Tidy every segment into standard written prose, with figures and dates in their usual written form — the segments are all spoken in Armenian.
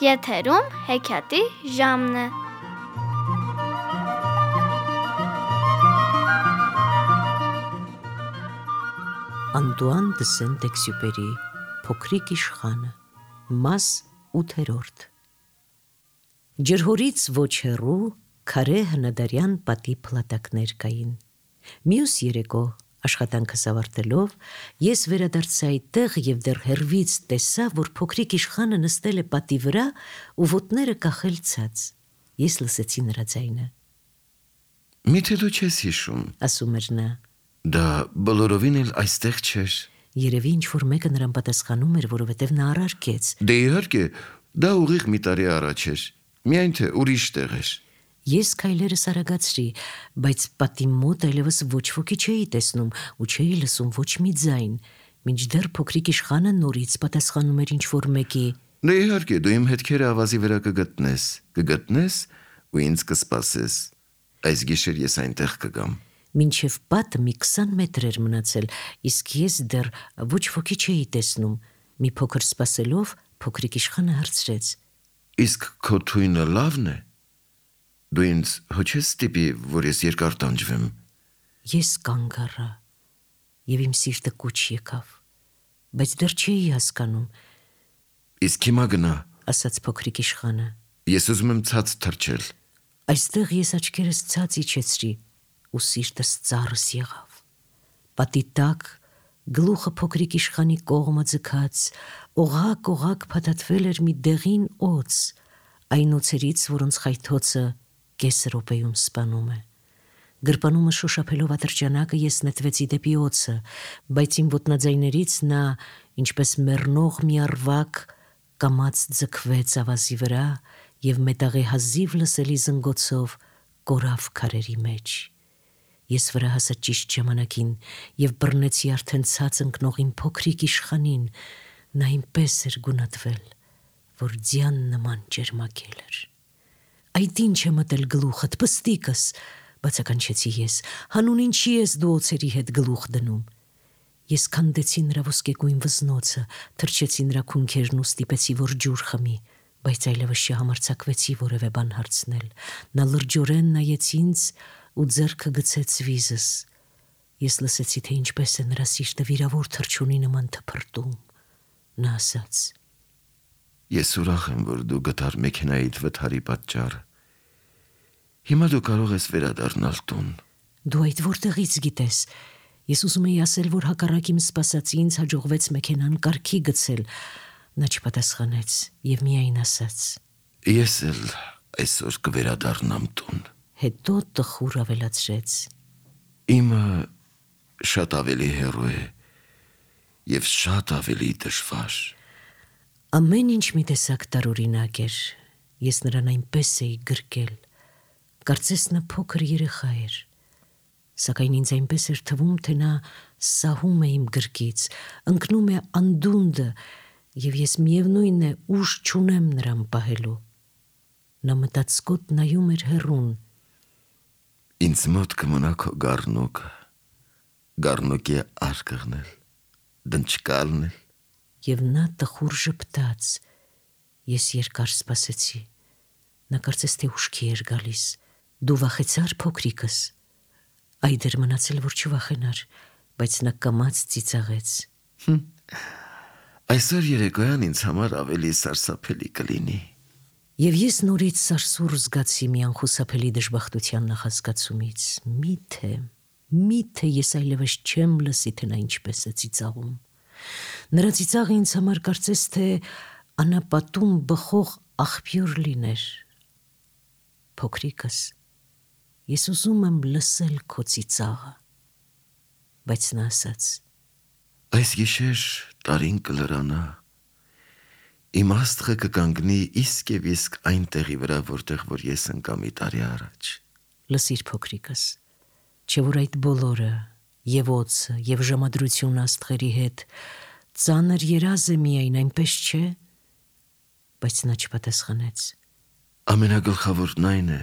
Եթերում հեքիաթի ժամն է։ Անտուան դը Սենտ-Էքսյուպերի Փոքրիկ իշխանը, մաս 8-րդ։ Ջրհորից ոչ հեռու քարե հնադարյան պատի փլատակներ կային։ Մյուս երեկո աշխատանքս ավարտելով ես վերադարձա այդտեղ եւ դեռ հեռվից տեսա, որ փոքրիկ իշխանը նստել է պատի վրա ու ոտները կախել ցած։ Ես լսեցի նրա ձայնը։ Միթե դու չես հիշում, ասում էր նա։ Դա բոլորովին էլ այստեղ չէր։ Երևի ինչ-որ մեկը նրան պատասխանում էր, որովհետև նա առարկեց։ Դե իհարկե, դա ուղիղ մի տարի առաջ էր, միայն թե ուրիշ տեղ էր։ Ես քայլերս արագացրի, բայց պատի մոտ այլևս ոչ ոքի չէի տեսնում ու չէի լսում ոչ մի ձայն, մինչդեռ փոքրիկ իշխանը նորից պատասխանում էր ինչ-որ մեկի։ Դե իհարկե, դու իմ հետքերը ավազի վրա կգտնես ու ինձ կսպասես։ Այս գիշեր ես այնտեղ կգամ։ Մինչև պատը մի 20 մետր էր մնացել, իսկ ես դեռ ոչ ոքի չէի տեսնում։ Մի փոքր սպասելով, փոքրիկ իշխանը հարցրեց. Իսկ քո թույնը լավն է։ Դու ինձ հո չես ստիպի, որ ես երկար տանջվեմ։ Ես կանգ առա, եւ իմ սիրտը կուչ եկավ, բայց դեռ չէի հասկանում։ Իսկ հիմա գնա, ասաց փոքրիկ իշխանը։ Ես ուզում եմ ցած թռչել։ Այստեղ ես աչքերս ցած իջեցրի ու սիրտս ծառս եղավ։ Պատի տակ գլուխը փոքրիկ իշխանի կողմը ձգած, օղակ փաթաթվել էր մի դեղին օձ, այն օձերից, որոնց խայթոցը կես րոպեում սպանում է։ Գրպանումը շոշափելով ատրճանակը ես նետվեցի դեպի օձը, բայց իմ ոտնաձայներից նա, ինչպես մեռնող մի առվակ, կամաց ձգվեց ավազի վրա եւ մետաղի հազիվ լսելի զնգոցով կորավ քարերի մեջ։ Ես վրա հասա ճիշտ ժամանակին եւ բռնեցի արդեն ցած ընկնող իմ փոքրիկ իշխանին, նա այնպես էր գունատվել, որ ձյան նման ջերմակել էր։ Այդ ինչ է մտել գլուխդ, պստիկս, բացականչեցի ես, հանուն ինչի ես դու օձերի հետ գլուխ դնում։ Ես քանդեցի նրա ոսկեգույն վզնոցը, թրջեցի նրա քունքերն ու ստիպեցի, որ ջուր խմի, բայց այլևս չհամարձակվեցի որևէ բան հարցնել։ Նա լրջորեն նայեց ինձ ու ձեռքը գցեց վիզս։ Ես լսեցի, թե ինչպես է նրա սիրտը վիրավոր թռչունի նման թփրտում։ Նա ասաց. Ես ուրախ եմ, որ դու գտար մեքենայիդ վթարի պատճառը։ Հիմա դու կարող ես վերադառնալ տուն։ Դու այդ որտեղից գիտես։ Ես ուզում էի ասել, որ հակառակ իմ սպասածի ինձ հաջողվեց մեքենան կարգի գցել։ Նա չպատասխանեց եւ միայն ասաց. Ես էլ այսօր կվերադառնամ տուն։ Հետո տխուր ավելացրեց. Իմը շատ ավելի հեռու է եւ շատ ավելի դժվար։ Ամեն ինչ մի տեսակ տարօրինակ էր։ Ես նրան այնպես էի գրկել։ Կարծես նա փոքր երեխա էր։ Սակայն ինձ այնպես էր թվում, թե նա սահում է իմ գրկից, ընկնում է անդունդը, եւ ես միևնույն է ուժ չունեմ նրան պահելու։ Նա մտածկոտ նայում էր հեռուն։ Ինձ մոտ կմնա քո գառնուկի արկղն էլ, դնչկալն էլ։ Եվ նա տխուր ժպտաց։ Ես երկար սպասեցի։ Նա կարծես թե ուշքի էր գալիս։ Դու վախեցար, փոքրիկս։ Այդ էր մնացել, որ չվախենար, բայց նա կամաց ծիծաղեց։ Այսօր երեկոյան ինձ համար ավելի սարսափելի կլինի։ Եվ ես նորից սարսուռ զգացի մի անխուսափելի դժբախտության նախազգացումից։ Միթե ես այլևս չեմ լսի, թե նա ինչպես է ծիծաղում։ Նրա ծիծաղը ինձ համար կարծես թե անապատում բխող աղբյուր լիներ։ Փոքրիկս, ես ուզում եմ լսել քո ծիծաղը, բայց նա ասաց. Այս գիշեր տարին կլրանա, իմ աստղը կկանգնի իսկ եւ իսկ այն տեղի վրա, որտեղ որ ես ընկա մի տարի առաջ։ Լսիր, փոքրիկս, չէ որ այդ բոլորը, եւ օձը, եւ ժամադրություն աստղերի հետ, ծանր երազ է միայն, այնպես չէ։ Բայց նա չպատասխանեց։ Ամենագլխավորն այն է,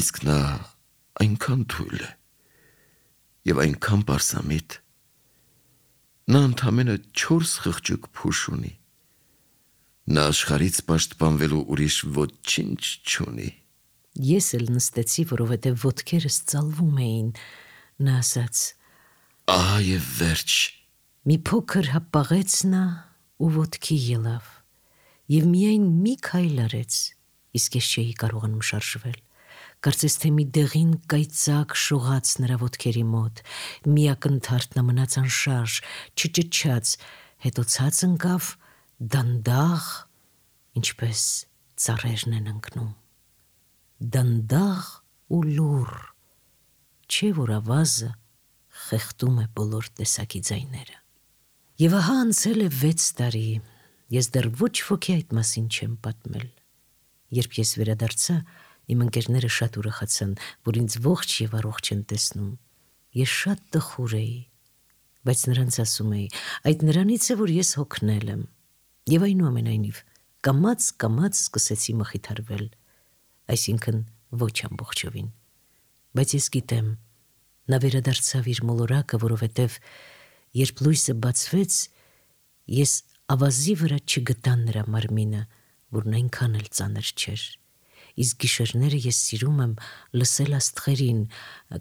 Իսկ նա այնքան թույլ է եւ այնքան պարսամիտ։ Նա ընդամենը 4 խղճուկ փուշ ունի։ Նա աշխարհից պաշտպանվելու ուրիշ ոչինչ չունի։ Ես էլ նստեցի, որովհետև ոտքերս ծալվում էին, նա ասաց. Ահա եւ վերջ։ Մի փոքր հապաղեց նա ու ոտքի ելավ, եւ միայն մի քայլ արեց, իսկ ես չէի կարողանում շարժվել։ Կարծես թե մի դեղին կայծակ շողաց նրա ոտքերի մոտ, մի ակնթարթ նա մնաց անշարժ, չճչաց, հետո ցած ընկավ դանդաղ, ինչպես ծառերն են ընկնում, դանդաղ ու լուռ, չէ որ ավազը խեղդում է բոլոր տեսակի ձայները։ Եվ ահա անցել է 6 տարի, ես դեռ ոչ ոքի այդ մասին չեմ պատմել։ Երբ ես վերադարձա, իմ ընկերները շատ ուրախացան, որ ինձ ողջ եւ առողջ են տեսնում։ Ես շատ տխուր էի, բայց նրանց ասում էի, այդ նրանից է, որ ես հոգնել եմ։ Եվ այնուամենայնիվ, կամաց սկսեցի մխիթարվել, այսինքն ոչ ամբողջովին։ Բայց ես գիտեմ, նա վերադարձավ իր մոլորակը, որովհետև երբ լույսը բացվեց, ես ավազի վրա չգտա նրա մարմինը, որն այնքան էլ ծանր չէր։ Իսկ գիշերները ես սիրում եմ լսել աստղերին,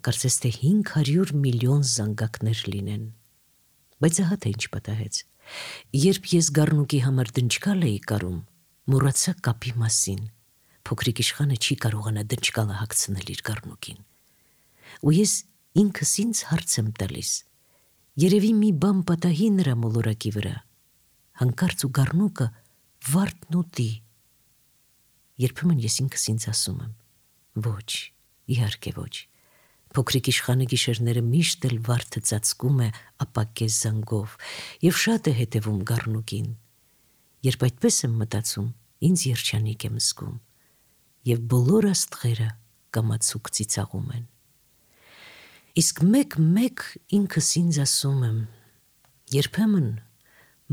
կարծես թե 500 միլիոն զանգակներ լինեն։ Բայց ահա թե ինչ պատահեց։ Երբ ես գառնուկի համար դնչկալ էի կարում, մոռացա կապի մասին։ Փոքրիկ իշխանը չի կարողանա դնչկալը հագցնել իր գառնուկին։ Ու ես ինքս ինձ հարց եմ տալիս. երևի մի բան պատահի նրա մոլորակի վրա, հանկարծ ու գառնուկը վարդն ուտի։ Երբեմն ես ինքս ինձ ասում եմ. ոչ, իհարկե ոչ։ Փոքրիկ իշխանը գիշերները միշտ էլ վարդը ծածկում է ապակես զանգով եւ շատ է հետևում գառնուկին։ Երբ այդպես եմ մտածում, ինձ երջանիկ եմ զգում եւ բոլոր աստղերը կամացուկ ծիծաղում են։ Իսկ մեկ ինքս ինձ ասում եմ. երբեմն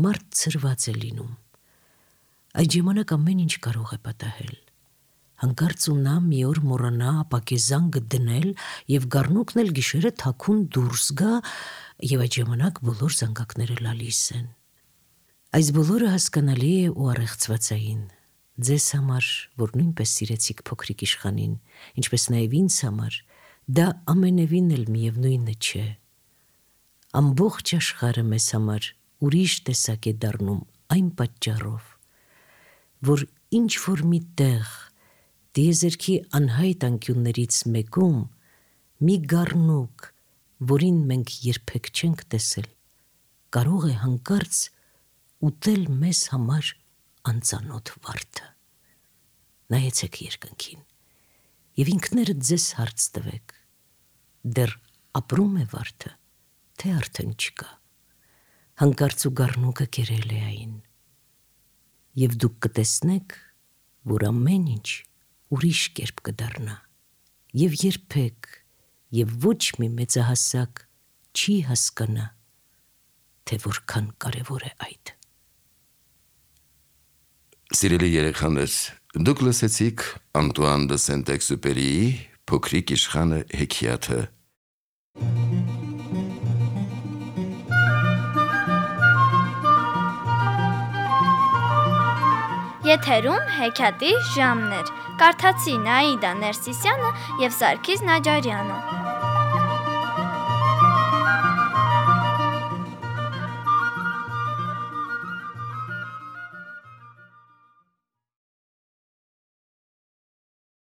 մարդ ծրված է լինում։ Այդ ժամանակ ամեն ինչ կարող է պատահել։ Հանկարծ ու նա մի օր մոռանա ապակեզանգը դնել եւ գառնուկն էլ գիշերը թաքուն դուրս գա եւ այդ ժամանակ բոլոր զանգակները լալիս են։ Այս բոլորը հասկանալի է ու առեղծվածային։ Ձեզ համար, որ նույնպես սիրեցիք փոքրիկ իշխանին, ինչպես նաեւ ինձ համար, դա ամենևին էլ միևնույնը չէ։ Ամբողջ աշխարհը մեզ համար ուրիշ տեսակ է դառնում այն պատճառով, որ ինչ որ մի տեղ դիեզերքի անհայտ անկյուններից մեկում մի գառնուկ, որին մենք երբեք չենք տեսել, կարող է հանկարծ ուտել մեզ համար անծանոթ վարդը։ Նայեցեք երկնքին եւ ինքներդ ձեզ հարց տվեք. դեռ ապրում է վարդը, թե արդեն չկա։ Հանկարծ ու գառնուկը կերել է այն։ Եվ դուք կտեսնեք, որ ամեն ինչ ուրիշ կերպ կդառնա։ Եվ երբեք եւ ոչ մի մեծահասակ չի հասկանա, թե որքան կարևոր է այդ։ Սիրելի երեխաներ, դուք լսեցիք Անտուան դը Սենտ-Էքզյուպերիի Փոքրիկ իշխանը հեքիաթը։ Եթերում հեքիաթի ժամն էր։ Կարդացին Աիդա Ներսիսյանը եւ Սարգիս Նաջարյանը։